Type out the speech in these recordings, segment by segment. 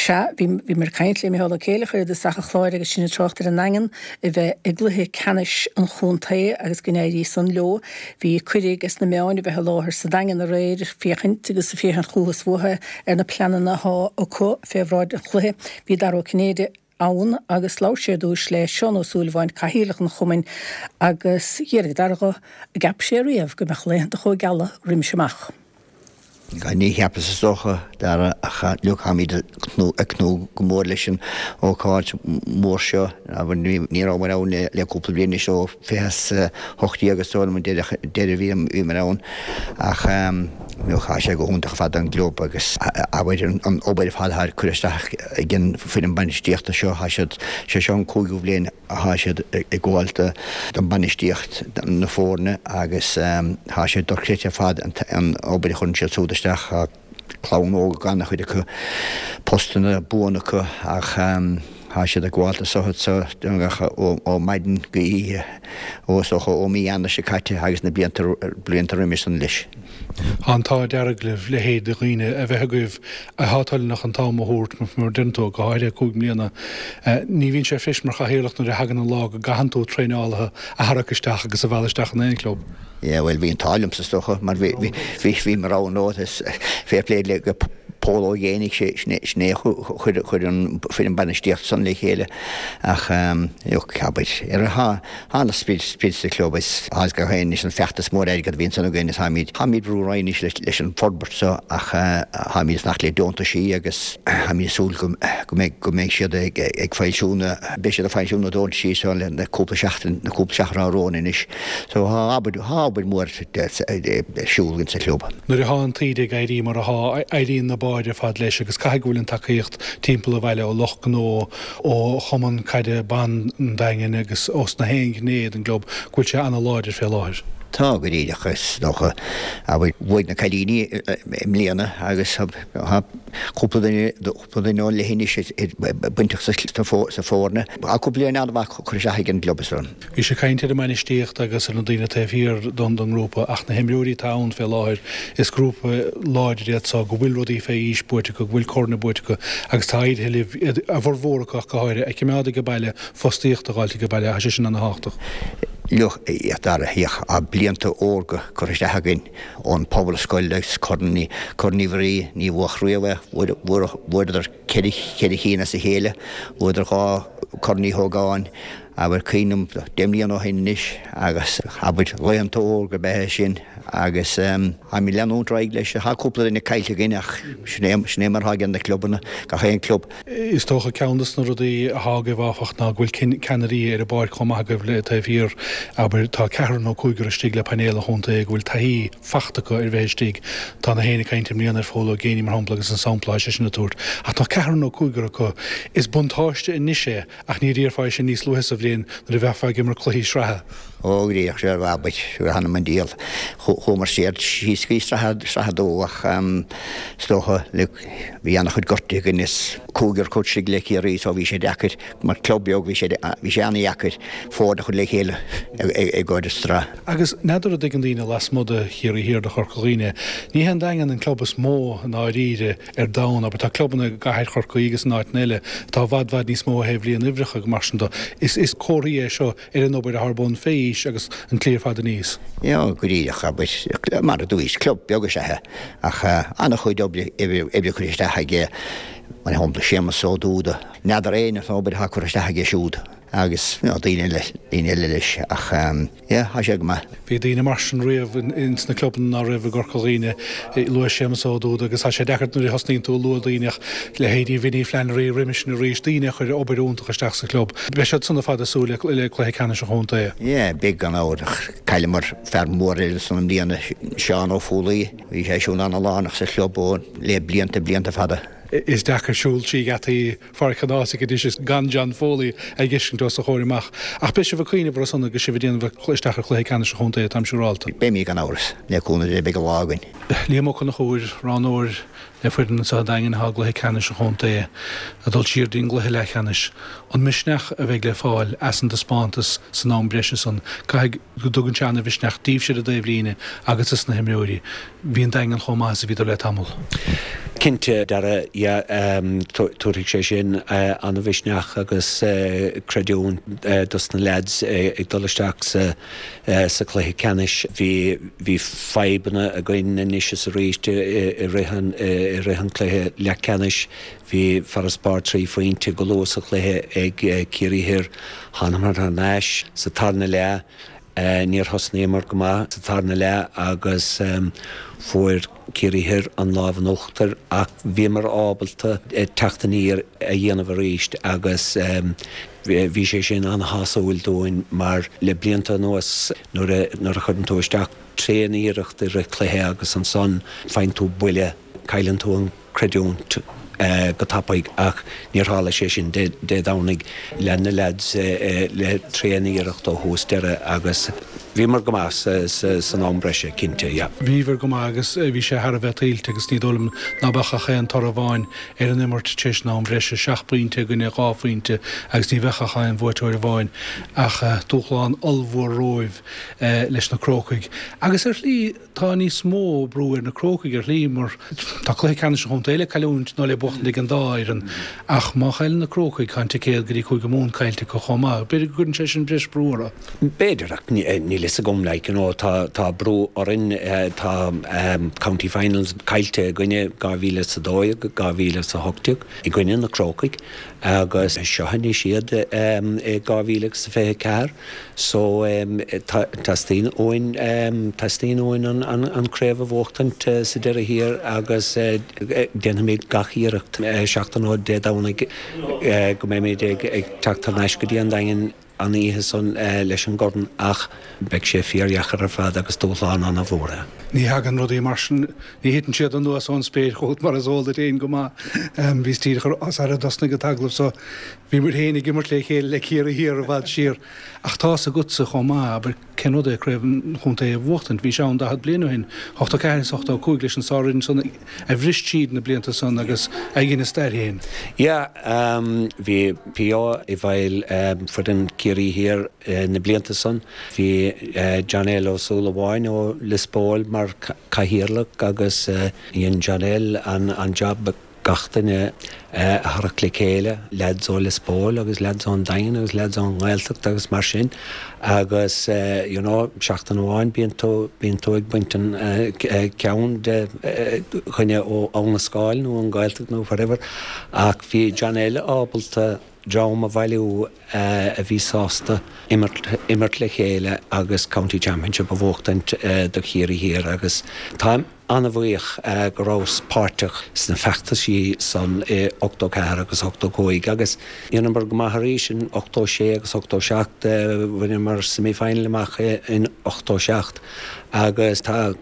Sea, bhí, bhíomar ag caint le Micheál Ó Céileachair i dtosach an chláir agus sinn ag trácht ar an nDaingean a bheith i gcluiche ceannais an chontae agus go n-éirí san leo. Bhí cuireadh ages na meáin a bheith i láthair sa Daingean aréir ag féachaint agus ag féachaint chucu is uathu ar na pleananna athá acu fé bhráid an chluiche. Bhí Dara Ó Cinnéide ann agus labhair sé ar dtúis le Seán Ó Súilleabháin, Cathaoirleach an Chumainn agus d'fhiafraigh Dara dho an gceap sé riamh go mbeadh laethanta chomh geala roimis amach. Ní cheapas is dócha, Dara, ach look, táimid ag tnúth go mór leis an ócáid mhór seo. Ní rabhamar ann le cúpla bliain anois, ó 2018 is dóigh liom an deireadh a bhíomar ann. Ach look, tá sé go hiontach ar fad don gclub agus abair an obair ar fad atá curtha isteach ag an foireann bainistíochta seo, tá siad, sé seo an cúigiú bhliain Tá siad ag gabháil don bainistíocht na foirne agus tá sé dochreidte ar fad an obair a chuireann siad súd isteach. Tá clann óg ag an-chuid acu, postanna buan acu ach tá siad ag gabháil do so ó maidin go oíche ó is dócha ó mí Eanáir seo caite agus na blianta blianta roimis san leis. Tá an t-ádh dearg libh leithéid de dhaoine a bheith agaibh athá toilteanach an t-am a thabhairt, mar a deireann tú, go háirithe 5 mbliana. Ní bhíonn sé fuirist mar chathaoirleach nuair a thagann an lá go gcaitheann tú traenálaithe a tharrac isteach agus a mhealladh isteach in aon chlub. Yeah, bhuel, bhí an t-ádh liomsa is dócha, mar bhí, bhí, bhí, bhí mo rogha nó is fair play le go Pól Ó Géibheannaigh, sé, sin é, sin é a chuir, chuir an foireann bainistíochta san le chéile ach, look, abair, ar a, Tá an-sprid sa chlub is tá gach aon anois an feachtas mór airgead a bhíonn san againn is táimid táimid brú ar aghaidh anois leis an forbairt seo ach táimid ag fanacht le deontaisí agus táimid ag súil go go mbeidh go mbeidh siad ag ag foilsiú na beidh siad ag foilsiú na deontaisí seo le na cúpla seachtain na cúpla seachtain atá romhainn anois. So tá obair tá obair mhór ar siúl againn sa chlub. Nuair atá an taoide ag éirí mar atá, éiríonn na báid ar fad leis agus caithfidh go bhfuil an tacaíocht timpeall an bhaile ó lucht gnó, ó Chumann Caide Ban an Daingin agus ós na haon ghné den gclub go bhfuil sé ana-láidir fé láthair. Tá, go díreach. Is dócha, abair, bhuaigh na cailíní i mbliana agus tá cúpla duine, cúpla duine ón leithinis bainteach sa foirne. Tá cúpla bliain an-mhaith curtha isteach ag an gclub, is dóigh. Bhís ag caint ar an mbainistíocht agus ar na daoine taobh thiar don ngrúpa ach na himreoirí atá ann fé láthair, is grúpa láidir iad so go bhfuil rudaí fé aois buaite acu, go bhfuil corn buaite acu agus tá éirithe libh iad, a bhformhór acu ach go háirithe, a chimeád age baile, fostaíocht a dh'fháilt age baile, tá sé sin ana thábhachtach. Look, a Dhara, tá blianta órga curtha isteach againn ón Phobalscoil agus Corn Corn Uí Mhuirí, ní bhuadh riamh é, bhuadar ceithre chinn as a chéile, bhuadar 2 Corn Uí Hógáin, Abair, cuimhním 10 mbliana ó shin anois agus abair laethanta órga ab ea é sin agus táimid ag leanúint ar aghaidh leis. Tá cúpla duine caillte againn ach sin é, sin é mar atá ag na clubanna, gach aon club. Is dócha ceann de na rudaí atá agaibh áfach ná go bhfuil ceannairí ar an bpáirc chomh maith agaibh le taobh thiar, abair, tá ceathrar nó cúigear istigh le painéal an chontae go bhfuil taithí fachta acu ar bheith istigh. Tá na héinne ag caint i mbliana ar Phól Ó Géibheannaigh mar shampla agus an sampla atá seisean ag tabhairt. Ach tá ceathrar nó cúigear acu. Is buntáiste anois é Ach ní déarfá é sin níos luaithe sa bhliain nuair a bheifeá ag imirt cluichí sraithe. Ó, go díreach, sea, abair, th'anam 'on diabhal. Chuamar siar síos go dtí sraith, sraith a dó ach is dócha, look, bhí an-chuid gortuithe againn is cúigear acu istigh le Ciarraí so bhí sé deacair, mar club beag bhí sé, bhí sé an-dheacair foirne a chur le chéile i gcomhair sraith. Agus n'fheadar an dtuigeann daoine lasmuigh de Chiarraí Thiar de Chorca Dhuibhne, ní hé an Daingean an club is mó i ndáiríre ar domhan, abair, tá clubanna i gcathair Chorcaí agus in áiteanna eile atá i bhfad bhfad níos mó ó thaobh líon uimhreacha agus mar sin de. Is comhartha é seo ar an obair atá ar bun fé aois agus an tslí ar fad aníos. Yeah, go díreach, abair, mar a dúirt, club beag is ea é ach an-chuid oibre oibre curtha isteach aige, mar shampla Séamus Ó Dúda, n'fheadar éinne an obair atá curtha isteach aige siúd agus you know daoine eile, daoine eile leis ach yeah, tá sé go maith. Bhí daoine mar sin riamh ins na clubanna ná raibh i gCorca Dhuibhne. Luaigh Séamus Ó Dúda agus tá sé deacair nuair a thosnaíonn tú ag lua daoine ach leithéidí Vinny Flannery roimis sin arís, daoine a chuir obair iontach isteach sa chlub. Beidh siad san ar fad ag súil le cluiche ceannais an chontae. Yeah, beidh gan amhras ach chailleamar fear mór eile ansan i mbliana, Seán Ó Foghlaí. Bhí sé siúd ana-lárnach sa chlub ó le blianta, blianta fada. Is deacair siúl trí gheataí Pháirc an Ághasaigh anois is gan John Foley a dh'fheiscint os do chomhair amach. Ach beidh sibh ag cuimhneamh orthu san agus sibh ag déanamh isteach ar chluiche ceannais an chontae, táim siúrálta. Beimid gan amhras. Le cúnamh Dé beidh an lá againn. Liam Ó Conchúir, roghnóir le foireann anseo an Daingin atá i gcluiche ceannais an chontae, ag dul siar dtí'n gcluiche leathcheannais. An misneach a bheidh le fáil as an dtaispeántas san am breise san, caithfidh go dtugann sé ana-mhisneach daoibhse ar an dtaobhlíne agus dos na himreoirí. Bhí an Daingean chomh maith is a bhíodar le tamall. Cinnte, Dara, yeah, tabharfaidh sé sin an-mhisneach agus creidiúint dos na leaids ag dul isteach sa sa chluiche ceannais. Bhí bhí fadhbanna againn anois is arís i rith an i rith an chluiche leathcheannais. Bhí farasbarr 3 phointe go luath sa chluiche ag Ciarraí Thoir. Thánamar thar n-ais sa tarna leath. Níor thosnaíomar go maith sa tarna leath agus fuair Ciarraí Thoir an lámh in uachtar ach bhíomar ábalta teacht aniar a dhéanamh arís agus bhí sé sin an-shásúil dúinn mar le blianta anuas nuair a chuireann tú isteach tréan-iarracht i rith cluiche agus ansan faigheann tú buille, cailleann tú an creidiúint go tapaidh ach níor tharla sé sin Dé Domhnaigh. Lean na leaids le tréan-iarracht ó thús deireadh agus bhíomar go maith san am breise, cinnte, yeah. Bhíobhair go maith agus bhí sé thar a bheith tuillte agus ní dóigh liom ná beadh ach aon toradh amháin ar an imirt tar éis an am bhreise, seacht bpointe i gcoinne dhá phointe agus ní bheadh ach aon bhuaiteoir amháin ach dúshlán ollmhór romhaibh leis na Crócaigh agus ar shlí Tá níos mó brú ar na Crócaigh ar shlí mar tá cluiche ceannais an chontae le cailliúint nó le buachtaint ag an dá fhoireann ach má chailleann na Crócaigh tá an ticéad go dtí Cúige Mumhan caillte acu chomh maith. B'fhéidir go gcuireann sé sin breis brú orthu. B'fhéidir ach níl fhios agam like you know tá tá brú orainn tá county finals caillte againne 2012, 2018 i gcoinne na Crócaigh agus seo anois iad i 2024. So teastaíonn uainn, teastaíonn uainn an craobh a bhuachtaint sa deireadh thiar agus déanfaimid gach iarracht seachtain ó Dé Domhnaigh go mbeimid ag teacht thar n-ais go dtí an Daingean an oíche san leis an gcorn ach beidh sé fíordheacair ar fad agus dúshlán an-mhór é. Ní thagann rudaí mar sin, ní thiteann siad anuas ón spéir chugat mar is eol duit féin go maith. Bhíos díreach sara dtosnaigh an t-agallamh so Bhí muid féin ag imirt le chéile le Ciarraí Thiar i bhfad siar ach tá's agatsa chomh maith, abair, cén rud é craobh an chontae a bhuachtaint. Bhí sé ann 40 bliain ó shin, 84 is 85 leis an sár-fhoireann san a bhris tríd na blianta san agus a dhein a stair féin. Yeah, bhí P.O. i bhfeighil foireann Ciarraí Thiar na blianta san. Bhí John L. Ó Súilleabháin ó Lios Póil mar cathaoirleach agus dhein John L. an job. gach duine a tharrac le chéile, leaids ó Lios Póil agus leaids ón Daingean agus leaids ón nGaeltacht agus mar sin agus you know seachtain amháin bíonn tú, bíonn tú ag baint an ceann de dhuine ó Abha na Scáil nó ón Ghaeltacht nó whatever ach bhí John L ábalta dream a bhailiú a bhí sásta imirt, imirt le chéile agus County Championship a bhuachtaint do Chiarraí Thiar agus táim an-bhuíoch go rabhas páirteach sna feachtaisí san i 84 agus 85 agus dheineamar go maith arís in 86 agus 87, bhaineamar semi-final amach in 87 agus tá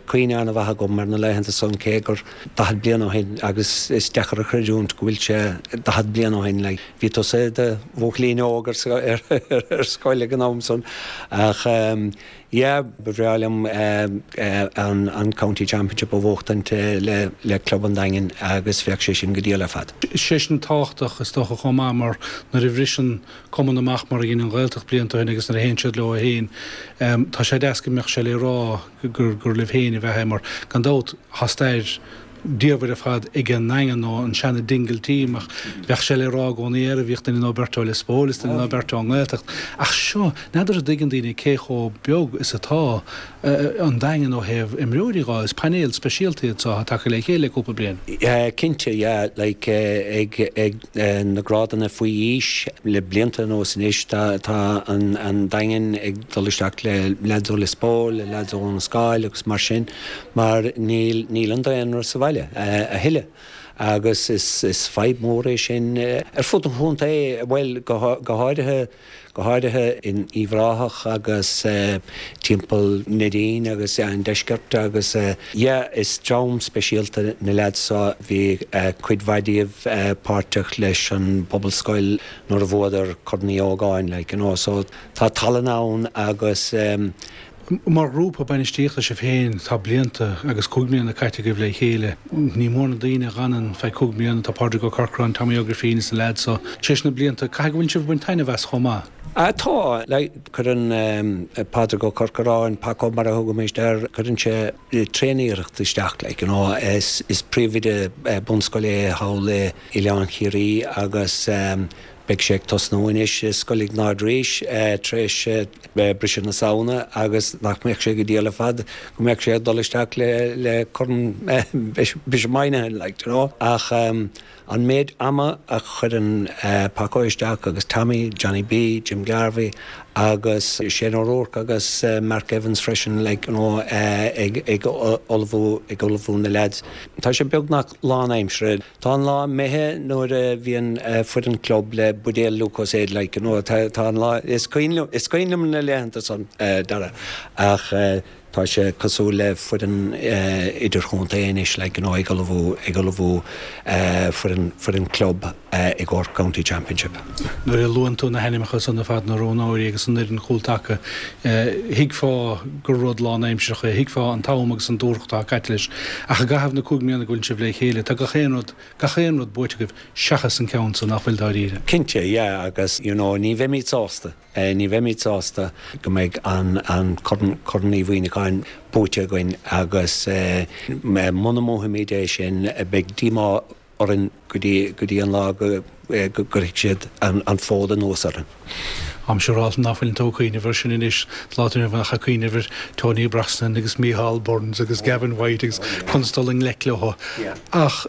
cuimhne an-mhaith agam ar na laethanta san cé gur 40 bliain ó shin agus is deacair a chreidiúint go bhfuil sé 40 bliain ó shin like bhí tusa i do bhuachaillín óg ar scoil ag an am san ach Yeah, ba bhreá liom an County Championship a bhuachtaint le club an Daingin agus bheadh sé sin go diail ar fad. Sé sin tábhachtach is dócha chomh maith mar nuair a bhriseann cumann amach mar a dhein an Ghaeltacht blianta ó shin agus nuair a théann siad leo féin, tá sé deas go mbeadh sé le rá gur libh féin a bheadh é mar gan dabht tá stair diamhair ar fad ag an nDaingean nó an seana Dingle team ach bheadh sé le rá i gcónaí air, bhíodh duine nó beirt ó Lios Póil is duine nó beirt ón nGaeltacht. Ach seo, n'fheadar an dtuigeann daoine cé chomh beag is atá an Daingean ó thaobh imreoirí dhó, is painéal speisialta iad seo atá tagtha le chéile le cúpla bliain. Cinnte, yeah, like ag ag na grádanna faoi aois le blianta anuas anois tá tá an an Daingean ag dul isteach le leaids ó Lios Póil, le leaids ó Abha na Scáil agus mar sin. mar níl níl an daonra sa bhaile a thuilleadh agus is is fadhb mhór é sin ar fud an chontae, bhuel go go háirithe go háirithe in Uíbh Ráthach agus timpeall Neidín agus an deisceart agus yeah is dream speisialta na leaids seo, bhí cuid mhaith díobh páirteach leis an bPobalscoil nuair a bhuadar Corn Uí Ógáin like you know so tá tallann ann agus Mar ghrúpa bainistíochta sibh féin, tá blianta agus 5 mbliana caite agaibh le chéile. Ní mór na daoine a dh'fhanann feadh 5 mbliana, tá Pádraig Ó Corcráin, Tommy Ó Grifín is na leaids so. Tar éis na blianta, caithfidh go bhfuil sibh ag baint taitneamh as chomh maith? Tá, like, cuireann Pádraig Ó Corcoráin, Paco mar a thugaimid air, cuireann sé tréaniarracht isteach, like, you know, is príomhoide bunscoile é thall i Oileán Chiarraí agus beidh sé ag tosnú anois i Scoil Iognáid arís tar éis briseadh na Samhna agus nach mbeadh sé go diail ar fad go mbeadh sé ag dul isteach le Corn Bishop Moynihan, like, you know, ach An méid ama a chuireann Paco isteach agus Tommy, Johnny B, Jim Garvey agus Shane O'Rourke agus Mark Evans freisin like you know ag ullmhú ag ullmhú na leaids. Tá sé beagnach lánaimseartha. Tá an lá imithe nuair a bhíonn foireann club le buidéal Lucozade like you know tá an lá is cuimhin liom is cuimhin liom na laethanta san Dara ach Tá sé cosúil le foireann idirchontae anois like you know ag ullmhú ag ullmhú foireann foireann club i gcomhair County Championship. Nuair a luann tú na hainmneacha san ar fad, na roghnóirí agus an fhoireann chúltaca, thuigfeá gur rud lánaimsearach é, thuigfeá an t-am agus an dúthracht atá caite leis. Ach i gcaitheamh na gcúig mbliana go bhfuil sibh le chéile, tá gach aon rud, gach aon rud buaite agaibh seachas an ceann san, nach bhfuil dáiríre? Cinnte, yeah, agus you know ní bheimid sásta. Ní bheimid sásta go mbeidh an Corn Uí Mhuimhneacháin buaite againn agus muna mbuafaimid é sin beidh díomá orainn go dtí an lá go gcuirfidh siad an fód anuas orainn. Táim siúráilte ná fuileann tú ag cuimhneamh air sin anois, lá atá inniu ann ach ag cuimhneamh ar Tony Brosnan agus Micheál Burns agus Gavin White agus conas dul i ngleic leo. Ach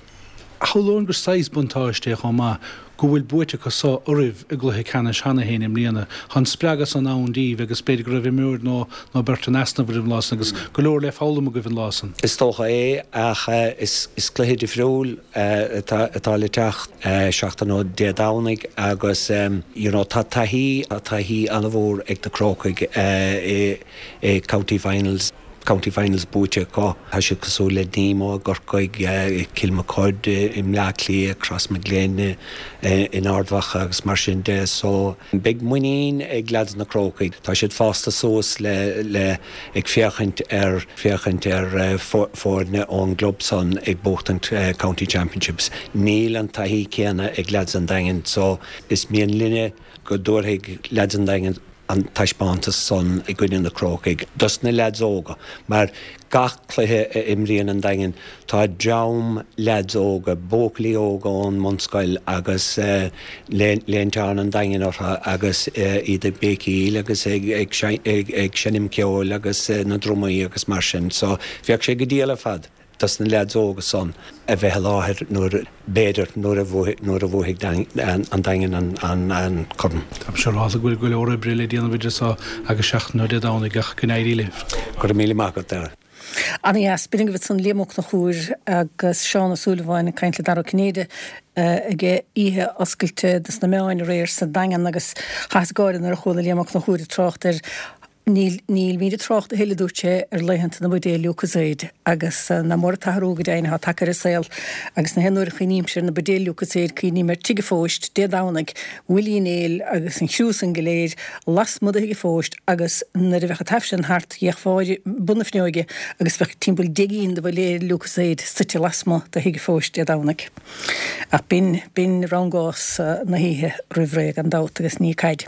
shamhlóinn gur saghas buntáiste é chomh maith go bhfuil buaite acu so oraibh i gcluiche ceannais cheana féin i mbliana. Tá an spreagadh san ann daoibh agus b'fhéidir go raibh imreoir nó nó beirt in easnamh oraibh an lá san agus go leor le foghlaim agaibh an lá san. Is dócha é ach is cluiche difriúil atá le teacht seachtain ó Dé Domhnaigh agus you know tá taithí, tá taithí an-mhór ag na Crócaigh i i County Finals. County Finals buaite acu. Tá siad cosúil le Nemo i gCorcaigh, Kilmacud i mBleá Cliath, Crossmaglen in Ard Mhacha agus mar sin de. So beidh muinín ag leaids na Crócaigh. Tá siad fásta suas le le ag féachaint ar féachaint ar foirne ón gclub san ag buachtaint County Championships. Níl an taithí céanna ag leaids an Daingin so is mian linne go dtabharfaidh leaids an Daingin an taispeántas san i gcoinne na Crócaigh dos na leaids óga mar gach cluiche a imríonn an Daingean tá dream leaids óga, buachaillí óga ón mbunscoil agus léinteán an Daingin orthu agus iad ag béicíl agus ag seinm ceoil agus na drumaí agus mar sin so bheadh sé go diail ar fad. dos na leaids óga san a bheith i láthair nuair, b'fhéidir, nuair a nuair a bhuafaidh an Daingean an corn. Táim siúráilte go bhfuil go leor oibre le déanamh idir so agus seachtain ó Dé Domhnaigh ach go n-éirí libh. Go raibh míle maith agat, Dara. Ana-dheas. B'in agaibh ansan Liam Ó Conchúir agus Seán Ó Súilleabháin ag caint le Dara Ó Cinnéide ag oíche oscailte dos na meáin aréir sa Daingean agus chaitheas gáire nuair a chuala Liam Ó Conchúir ag trácht ar Níl, nílimid ag trácht a thuilleadh, a dúirt sé, ar laethanta na mbuidéal Lucozade agus nach mór an t-athrú go deimhin atá tagtha ar an saol agus na haon uair a chuimhnímse ar na buidéil Lucozade cuimhním ar Tigh a' Phóist Dé Domhnaigh, Willie Uí Néill agus an criú san go léir lasmuigh de Thigh a' Phóist agus nuair a bheadh an tAifreann thart d'fhéachfá ar bun na fuinneoige agus bheadh timpeall 10 gcinn de bhuidéil Lucozade suite lasmuigh de Thigh a' Phóist Dé Domhnaigh. Ach b'in, b'in rangás na hoíche roimh ré gan dabht agus ní caid.